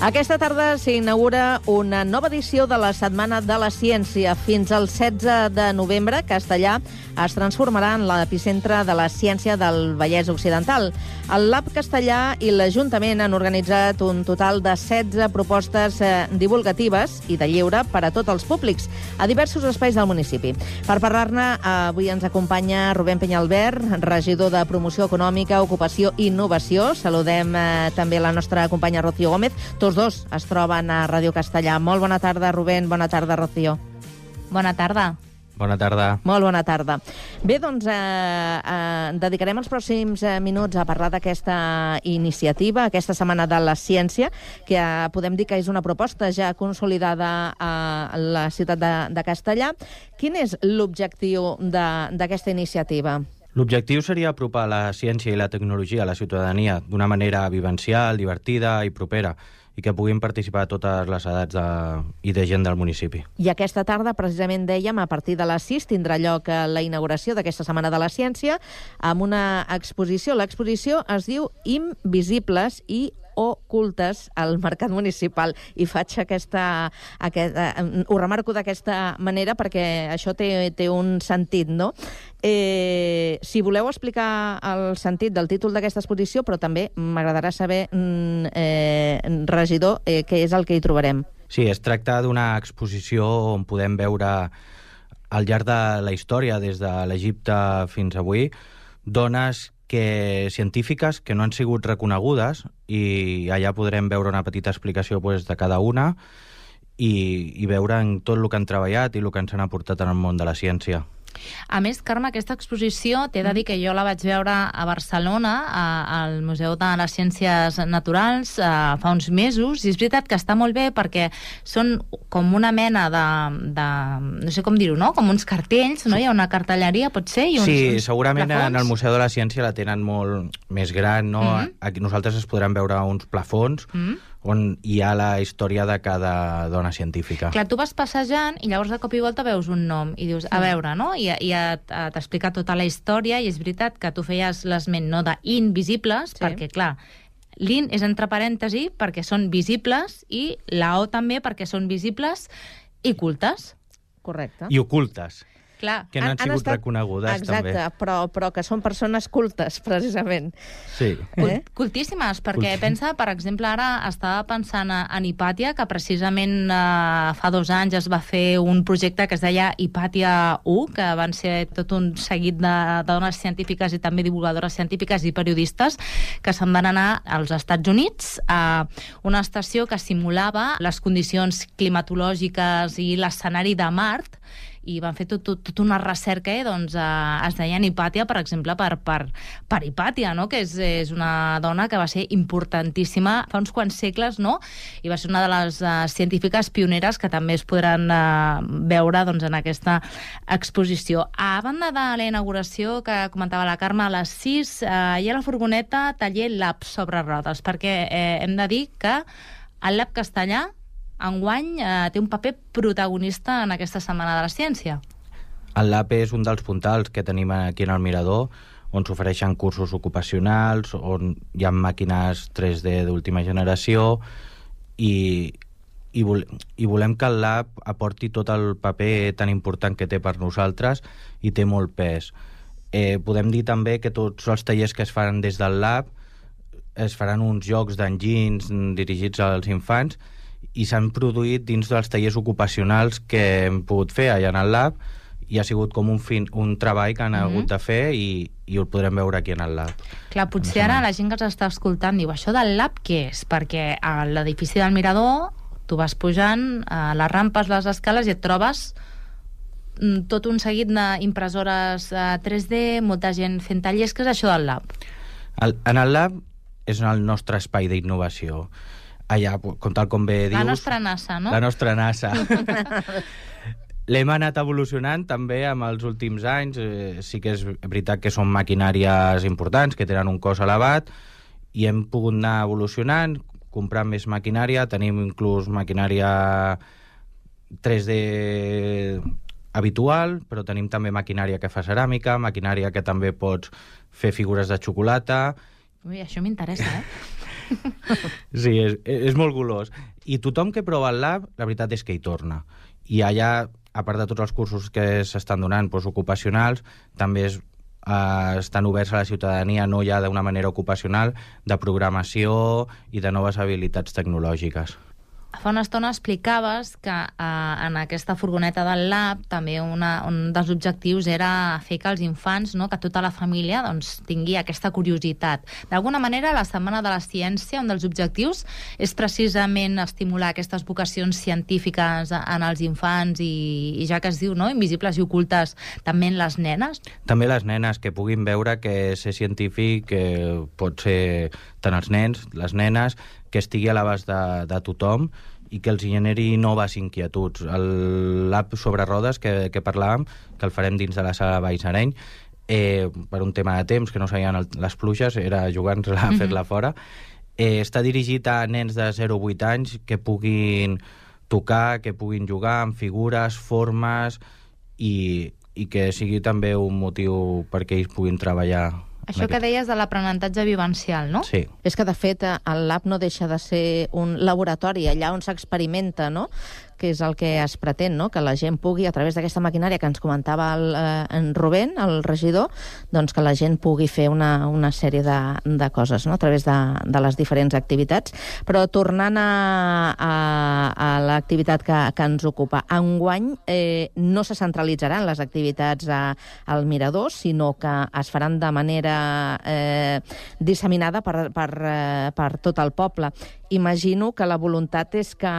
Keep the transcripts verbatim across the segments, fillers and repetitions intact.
Aquesta tarda s'inaugura una nova edició de la Setmana de la Ciència. Fins al setze de novembre, Castellà es transformarà en l'epicentre de la ciència del Vallès Occidental. El Lab Castellà i l'Ajuntament han organitzat un total de setze propostes eh, divulgatives i de lleure per a tots els públics a diversos espais del municipi. Per parlar-ne, avui ens acompanya Rubén Peñalver, regidor de Promoció Econòmica, Ocupació i Innovació. Saludem eh, també la nostra companya Rocío Gómez. Tots dos es troben a Ràdio Castellà. Molt bona tarda, Rubén. Bona tarda, Rocío. Bona tarda. Bona tarda. Molt bona tarda. Bé, doncs, eh, eh, dedicarem els pròxims eh, minuts a parlar d'aquesta iniciativa, aquesta Setmana de la Ciència, que eh, podem dir que és una proposta ja consolidada a la ciutat de, de Castellà. Quin és l'objectiu d'aquesta iniciativa? L'objectiu seria apropar la ciència i la tecnologia a la ciutadania d'una manera vivencial, divertida i propera, i que puguin participar totes les edats de, i de gent del municipi. I aquesta tarda, precisament dèiem, a partir de les sis tindrà lloc la inauguració d'aquesta Setmana de la Ciència amb una exposició. L'exposició es diu Invisibles i ocultes al mercat municipal. I faig aquesta... aquesta ho remarco d'aquesta manera perquè això té, té un sentit, no? Eh, si voleu explicar el sentit del títol d'aquesta exposició, però també m'agradarà saber, eh, regidor, eh, què és el que hi trobarem. Sí, es tracta d'una exposició on podem veure al llarg de la història, des de l'Egipte fins avui, dones que científiques que no han sigut reconegudes, i allà podrem veure una petita explicació pues, de cada una i, i veure en tot el que han treballat i el que ens han aportat en el món de la ciència. A més, Carme, aquesta exposició, t'he de dir que jo la vaig veure a Barcelona, a, al Museu de les Ciències Naturals, a, fa uns mesos, i és veritat que està molt bé perquè són com una mena de... de no sé com dir-ho, no? Com uns cartells, no? Hi ha una cartelleria, pot ser? I uns, sí, uns segurament plafons. En el Museu de la Ciència la tenen molt més gran, no? Mm-hmm. Aquí nosaltres es podran veure uns plafons, mm-hmm, on hi ha la història de cada dona científica. Clar, tu vas passejant i llavors de cop i volta veus un nom i dius, a veure, no? I, i t'explica tota la història, i és veritat que tu feies l'esment, no?, d'invisibles, sí, perquè, clar, l'in és entre parèntesi perquè són visibles i la o també perquè són visibles i cultes. Correcte. I ocultes. Clar. Que no han, han sigut estat reconegudes, exacte, també. Exacte, però, però que són persones cultes, precisament. Sí. Eh? Cultíssimes, perquè Culti... pensa, per exemple, ara estava pensant en Hipàtia, que precisament eh, fa dos anys es va fer un projecte que es deia Hipàtia u, que van ser tot un seguit de, de dones científiques i també divulgadores científiques i periodistes que se'n van anar als Estats Units a una estació que simulava les condicions climatològiques i l'escenari de Mart, i van fer tot, tot, tot una recerca, eh, doncs, eh, es deia Hipàtia, per exemple, per, per, per Hipàtia, no?, que és, és una dona que va ser importantíssima fa uns quants segles, no?, i va ser una de les uh, científiques pioneres que també es podran uh, veure, doncs, en aquesta exposició. A banda de la inauguració que comentava la Carme, a les sis uh, hi ha la furgoneta Taller Lab sobre rodes, perquè eh, hem de dir que el Lab Castellà enguany eh, té un paper protagonista en aquesta Setmana de la Ciència. El Lab és un dels puntals que tenim aquí en el Mirador, on s'ofereixen cursos ocupacionals, on hi ha màquines tres D d'última generació, i, i, vol, i volem que el Lab aporti tot el paper tan important que té per nosaltres, i té molt pes. Eh, podem dir també que tots els tallers que es fan des del Lab es faran uns jocs d'enginys dirigits als infants, i s'han produït dins dels tallers ocupacionals que hem pogut fer allà en el Lab, i ha sigut com un, fin, un treball que han mm-hmm. hagut de fer, i, i ho podrem veure aquí en el Lab. Clar, potser ara la gent que ens està escoltant diu, això del Lab què és? Perquè a l'edifici del Mirador tu vas pujant a les rampes, les escales, i et trobes tot un seguit d'impressores tres D, molta gent fent tallers. Què és això del Lab? El, en el Lab és el nostre espai d'innovació. Allà, com tal com bé dius... La nostra NASA, no? La nostra NASA. L'hem anat evolucionant també amb els últims anys. Eh, sí que és veritat que són maquinàries importants, que tenen un cost elevat, i hem pogut anar evolucionant, comprant més maquinària. Tenim inclús maquinària tres D habitual, però tenim també maquinària que fa ceràmica, maquinària que també pots fer figures de xocolata. Ui, això m'interessa, eh? Sí, és, és molt golós. I tothom que prova el lab, la veritat és que hi torna. I allà, a part de tots els cursos que s'estan donant, doncs, ocupacionals, també és, eh, estan oberts a la ciutadania, no ja d'una manera ocupacional, de programació i de noves habilitats tecnològiques. Fa una estona explicaves que eh, en aquesta furgoneta del lab també una, un dels objectius era fer que els infants, no, que tota la família doncs, tingui aquesta curiositat. D'alguna manera, la Setmana de la Ciència, un dels objectius és precisament estimular aquestes vocacions científiques en els infants i, i ja que es diu, no, invisibles i ocultes, també en les nenes? També les nenes, que puguin veure que ser científic eh, pot ser tant els nens, les nenes, que estigui a l'abast de, de tothom i que els generi noves inquietuds. El lab sobre rodes que, que parlàvem, que el farem dins de la sala Vallsareny, eh, per un tema de temps, que no sabien el, les pluges, era jugar-nos-la a fer-la fora, eh, està dirigit a nens de zero a vuit anys que puguin tocar, que puguin jugar amb figures, formes i, i que sigui també un motiu perquè ells puguin treballar. Això que deies de l'aprenentatge vivencial, no? Sí. És que, de fet, el lab no deixa de ser un laboratori, allà on s'experimenta, no?, que és el que es pretén, no?, que la gent pugui, a través d'aquesta maquinària que ens comentava el, eh, en Rubén, el regidor, doncs que la gent pugui fer una, una sèrie de, de coses, no?, a través de, de les diferents activitats. Però tornant a, a, a l'activitat que, que ens ocupa, enguany eh, no se centralitzaran les activitats a, al Mirador, sinó que es faran de manera eh, disseminada per, per, eh, per tot el poble. Imagino que la voluntat és que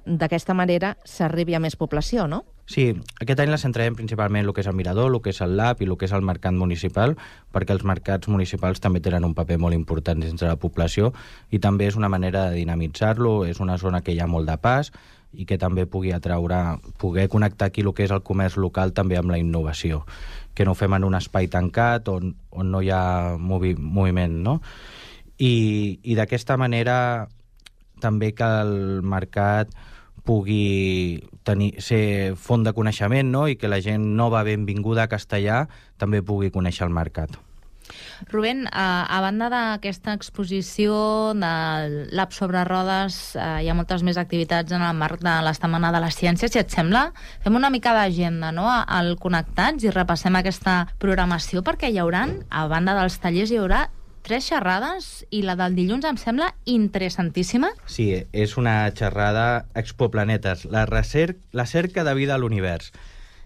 d'aquesta manera s'arribi a més població, no? Sí, aquest any la centrarem principalment el que és el Mirador, el que és el lab i el que és el mercat municipal, perquè els mercats municipals també tenen un paper molt important dins de la població i també és una manera de dinamitzar-lo, és una zona que hi ha molt de pas i que també pugui atraure, poder connectar aquí el que és el comerç local també amb la innovació, que no ho fem en un espai tancat on, on no hi ha movi, moviment, no? I, i d'aquesta manera també que el mercat pugui tenir, ser font de coneixement, no?, i que la gent nova benvinguda a Castellà també pugui conèixer el mercat. Rubén, a, a banda d'aquesta exposició del Lab sobre rodes, eh, hi ha moltes més activitats en el marc de la Setmana de la Ciència. Si et sembla, fem una mica d'agenda, no?, al Connectats i repassem aquesta programació, perquè hi haurà, a banda dels tallers, hi haurà tres xerrades i la del dilluns em sembla interessantíssima. Sí, és una xerrada Exoplanetes, la, recer la cerca de vida a l'univers.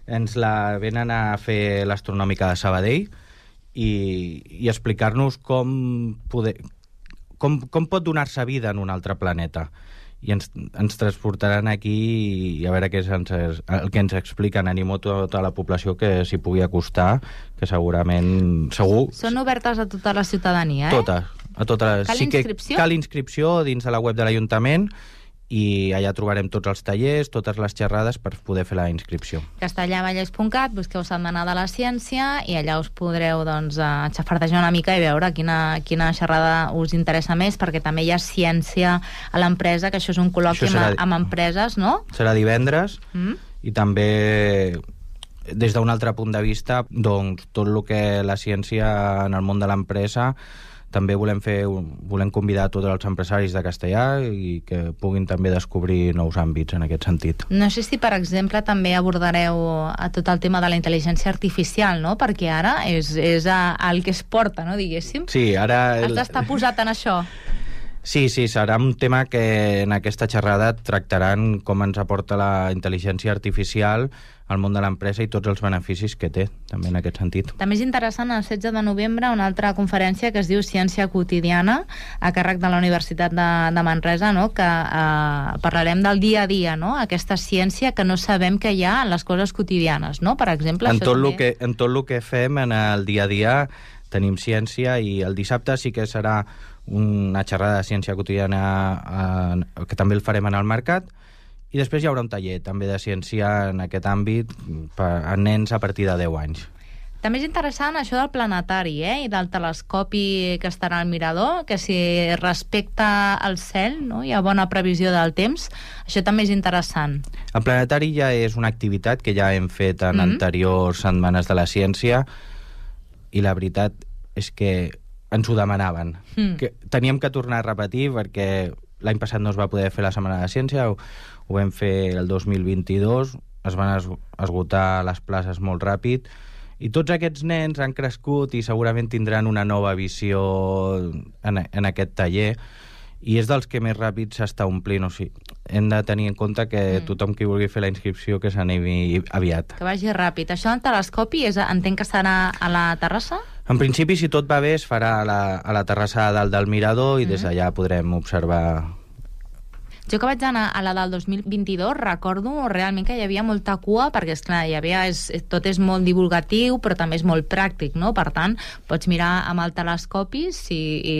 Ens la venen a fer l'Astronòmica de Sabadell i, i explicar-nos com, poder, com, com pot donar-se vida en un altre planeta. I ens, ens transportaran aquí i a veure què és ens, el que ens expliquen. Animo tota la població que s'hi pugui acostar, que segurament, segur... Són obertes a tota la ciutadania, eh? Totes. A totes. Cal sí inscripció? Que cal inscripció dins de la web de l'Ajuntament i allà trobarem tots els tallers, totes les xerrades per poder fer la inscripció. castellavallès punt cat, busqueu Setmana de la Ciència i allà us podreu doncs, xafardejar una mica i veure quina, quina xerrada us interessa més, perquè també hi ha ciència a l'empresa, que això és un col·loqui serà, amb, amb empreses, no? Serà divendres mm? i també des d'un altre punt de vista, doncs, tot el que la ciència en el món de l'empresa també volem fer, volem convidar a tots els empresaris de Castellà i que puguin també descobrir nous àmbits en aquest sentit. No sé si, per exemple, també abordareu a tot el tema de la intel·ligència artificial, no? Perquè ara és, és a, el que es porta, no, diguéssim. Sí, ara... Has d'estar posat en això. Sí, sí, serà un tema que en aquesta xerrada tractaran com ens aporta la intel·ligència artificial al món de l'empresa i tots els beneficis que té, també en aquest sentit. També és interessant el setze de novembre una altra conferència que es diu Ciència quotidiana, a càrrec de la Universitat de, de Manresa, no? Que eh, parlarem del dia a dia, no? Aquesta ciència que no sabem que hi ha en les coses quotidianes, no? Per exemple... En això tot, també... lo que, en tot el que fem en el dia a dia tenim ciència i el dissabte sí que serà una xerrada de ciència quotidiana eh, que també el farem en el mercat. I després hi haurà un taller també de ciència en aquest àmbit per a nens a partir de deu anys. També és interessant això del planetari, eh? I del telescopi que estarà al Mirador, que si respecta al cel, no? Hi ha bona previsió del temps, això també és interessant. El planetari ja és una activitat que ja hem fet en mm-hmm. anteriors setmanes de la ciència i la veritat és que ens ho demanaven. Mm. Que teníem que tornar a repetir perquè l'any passat no es va poder fer la Setmana de Ciència, ho, ho vam fer el dos mil vint-i-dos, es van es, esgotar les places molt ràpid, i tots aquests nens han crescut i segurament tindran una nova visió en, en aquest taller, i és dels que més ràpid s'està omplint. O sigui, hem de tenir en compte que mm. tothom qui vulgui fer la inscripció que s'animi aviat. Que vagi ràpid. Això del telescopi és, entenc que serà a la terrassa? En principi, si tot va bé, es farà a la, a la terrassa dalt del mirador i mm. des d'allà podrem observar. Jo que vaig anar a la del dos mil vint-i-dos recordo realment que hi havia molta cua, perquè, esclar, hi havia, és, tot és molt divulgatiu, però també és molt pràctic, no? Per tant, pots mirar amb el telescopi si, i,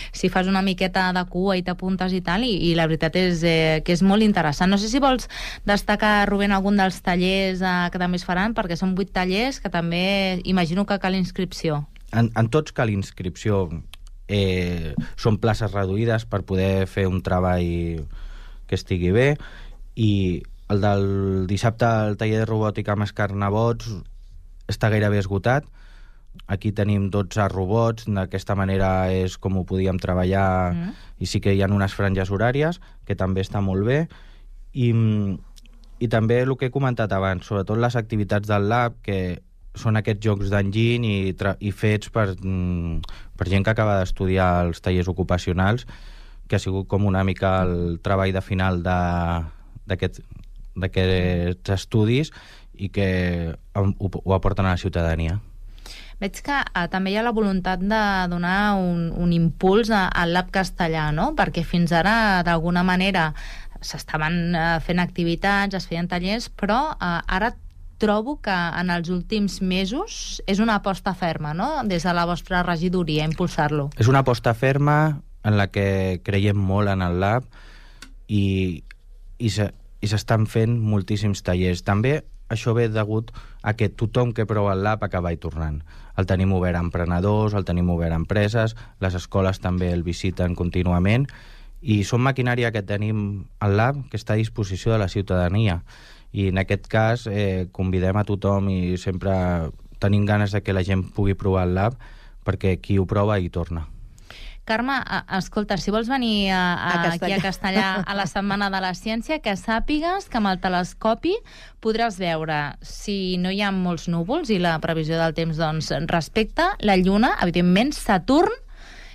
si fas una miqueta de cua i t'apuntes i tal, i, i la veritat és eh, que és molt interessant. No sé si vols destacar, Rubén, algun dels tallers eh, que també es faran, perquè són vuit tallers que també imagino que cal inscripció. En, en tots cal inscripció. Eh, són places reduïdes per poder fer un treball que estigui bé, i el del dissabte, el taller de robòtica amb escarnabots, està gairebé esgotat. Aquí tenim dotze robots, d'aquesta manera és com ho podíem treballar, mm. i sí que hi ha unes franges horàries, que també està molt bé, i, i també el que he comentat abans, sobretot les activitats del lab, que són aquests jocs d'enginy i, i fets per, per gent que acaba d'estudiar els tallers ocupacionals, que ha sigut com una mica el treball de final d'aquests estudis i que ho, ho aporten a la ciutadania. Veig que eh, també hi ha la voluntat de donar un, un impuls a, al Lab Castellà, no? Perquè fins ara, d'alguna manera, s'estaven eh, fent activitats, es feien tallers, però eh, ara trobo que en els últims mesos és una aposta ferma, no?, des de la vostra regidoria, impulsar-lo. És una aposta ferma en la que creiem molt en el lab, i, i s'estan fent moltíssims tallers. També això ve degut a que tothom que prova el lab acaba hi tornant. El tenim obert a emprenedors, el tenim obert a empreses, les escoles també el visiten contínuament, i són maquinària que tenim al lab que està a disposició de la ciutadania. I en aquest cas eh, convidem a tothom, i sempre tenim ganes de que la gent pugui provar el lab, perquè qui ho prova hi torna. Carme, escolta, si vols venir a, a, a aquí a Castellà a la Setmana de la Ciència, que sàpigues que amb el telescopi podràs veure, si no hi ha molts núvols i la previsió del temps doncs respecta, la Lluna, evidentment Saturn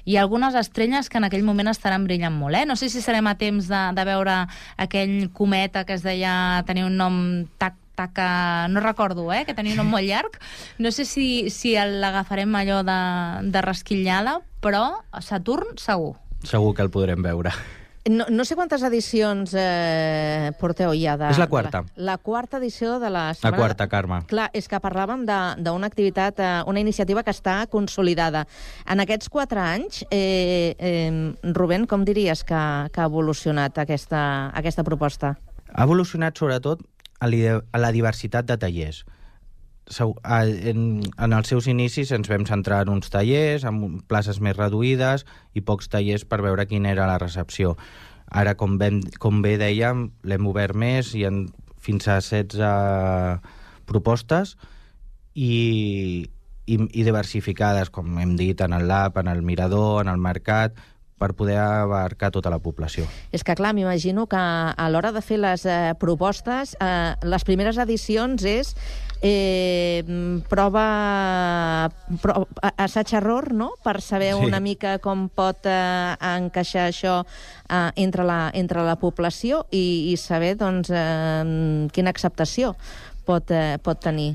i algunes estrelles que en aquell moment estaran brillant molt. Eh? No sé si serem a temps de, de veure aquell cometa que es deia, tenia un nom tac taca, no recordo, eh, que tenia un nom molt llarg. No sé si, si l'agafarem allò de, de rasquillada, però Saturn segur. Segur que el podrem veure. No, no sé quantes edicions eh, porteu ja de... És la quarta. La, la quarta edició de la setmana... La quarta, Carme. Clar, és que parlàvem d'una activitat, eh, una iniciativa que està consolidada. En aquests quatre anys, eh, eh, Rubén, com diries que, que ha evolucionat aquesta, aquesta proposta? Ha evolucionat sobretot a la diversitat de tallers. En, en els seus inicis ens vam centrar en uns tallers, amb places més reduïdes i pocs tallers per veure quina era la recepció. Ara, com, ben, com bé dèiem, l'hem obert més, i en, fins a setze propostes i, i, i diversificades, com hem dit, en el lab, en el mirador, en el mercat, per poder abarcar tota la població. És que, clar, m'imagino que a l'hora de fer les eh, propostes, eh, les primeres edicions és eh, prova, prova assaig-error, no?, per saber sí. una mica com pot eh, encaixar això eh, entre, la, entre la població i, i saber, doncs, eh, quina acceptació pot, eh, pot tenir.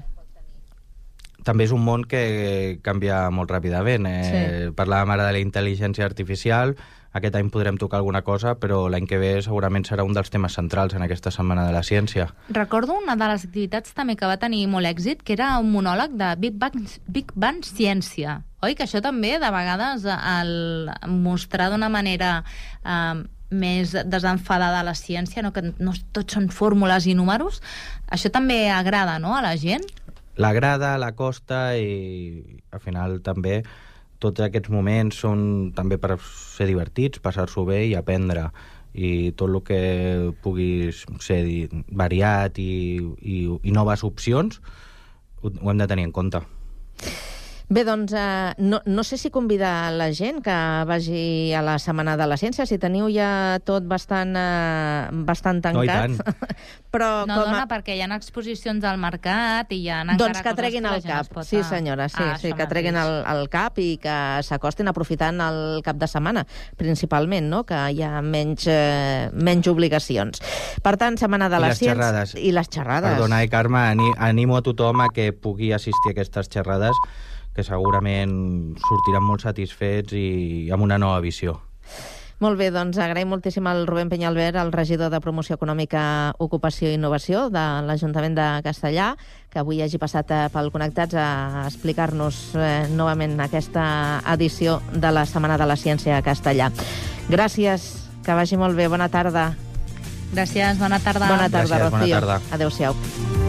També és un món que canvia molt ràpidament. Eh? Sí. Parlàvem ara de la intel·ligència artificial, aquest any podrem tocar alguna cosa, però l'any que ve segurament serà un dels temes centrals en aquesta Setmana de la Ciència. Recordo una de les activitats també que va tenir molt èxit, que era un monòleg de Big Bang, Big Bang Ciència. Oi? Que això també, de vegades, el mostrar d'una manera eh, més desenfadada la ciència, no? Que no tots són fórmules i números, això també agrada, no?, a la gent? L'agrada, la costa, i al final també tots aquests moments són també per ser divertits, passar-s'ho bé i aprendre, i tot el que pugui ser variat i, i, i noves opcions ho, ho hem de tenir en compte. Bé, doncs, eh, no, no sé si convidar la gent que vagi a la Setmana de la Ciència, si teniu ja tot bastant, eh, bastant tancat. No, i tant. Però No, com a... dona, perquè hi ha exposicions al mercat i hi ha encara Doncs que coses treguin la el gent es cap, pot... sí senyora, sí, Ah, sí això que treguin el, mateix. el cap i que s'acostin aprofitant el cap de setmana, principalment, no? Que hi ha menys, eh, menys obligacions. Per tant, Setmana de I la les Ciència... xerrades. I les xerrades. Perdona, eh, Carme, ani- animo a tothom a que pugui assistir a aquestes xerrades, que segurament sortiran molt satisfets i amb una nova visió. Molt bé, doncs agraïm moltíssim al Rubén Peñalver, el regidor de Promoció Econòmica, Ocupació i Innovació de l'Ajuntament de Castellà, que avui hagi passat eh, pel Connectats a explicar-nos eh, novament aquesta edició de la Setmana de la Ciència a Castellà. Gràcies, que vagi molt bé, bona tarda. Gràcies, bona tarda. Bona tarda, Gràcies, bona Rocío. tarda. Adéu-siau.